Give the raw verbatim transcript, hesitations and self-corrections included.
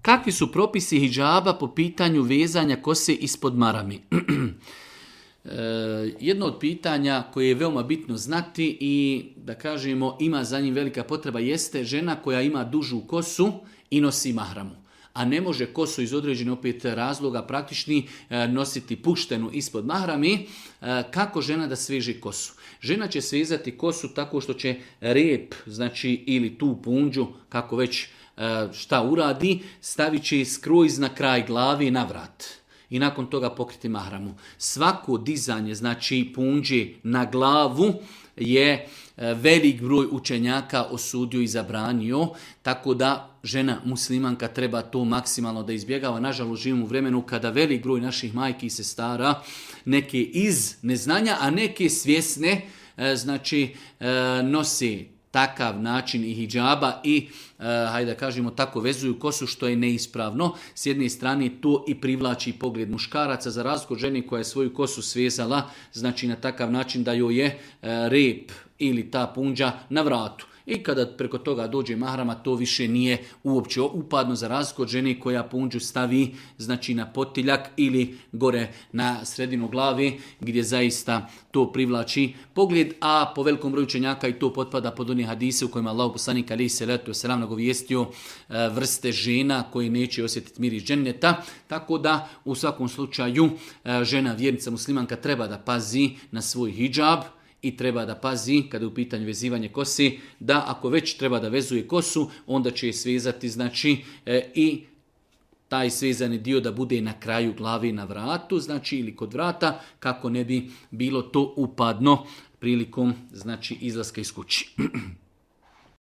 kakvi su propisi hidžaba po pitanju vezanja kose ispod marami? Jedno od pitanja koje je veoma bitno znati i da kažemo ima za njim velika potreba jeste žena koja ima dužu kosu i nosi mahramu, a ne može kosu iz određenih opet razloga praktični nositi puštenu ispod mahrami. Kako žena da sveže kosu? Žena će svezati kosu tako što će rep, znači ili tu punđu, kako već šta uradi, stavit će skroz na kraj glavi na vrat. I nakon toga pokriti mahramu. Svako dizanje, znači punđe na glavu, je velik broj učenjaka osudio i zabranio, tako da žena muslimanka treba to maksimalno da izbjegava. Nažalost, živimo u vremenu kada velik broj naših majki i sestara, neke iz neznanja, a neke svjesne, znači nosi takav način i hidžaba i, uh, hajde da kažemo, tako vezuju kosu što je neispravno. S jedne strane to i privlači pogled muškaraca za razliku od žene koja je svoju kosu svezala, znači na takav način da joj je uh, rep ili ta punđa na vratu. I kada preko toga dođe mahrama, to više nije uopće upadno za razliku od žene koja punđu stavi znači na potiljak ili gore na sredinu glave gdje zaista to privlači pogled, a po velikom broju učenjaka i to potpada pod one hadise u kojima Allah poslanik alejhi selatu vesselam nagovijestio vrste žena koji neće osjetiti miris dženneta, tako da u svakom slučaju žena vjernica muslimanka treba da pazi na svoj hidžab i treba da pazi, kada je u pitanju vezivanje kose, da ako već treba da vezuje kosu, onda će je svezati, znači, e, i taj svezani dio da bude na kraju glave na vratu, znači, ili kod vrata, kako ne bi bilo to upadno prilikom, znači, izlaska iz kući.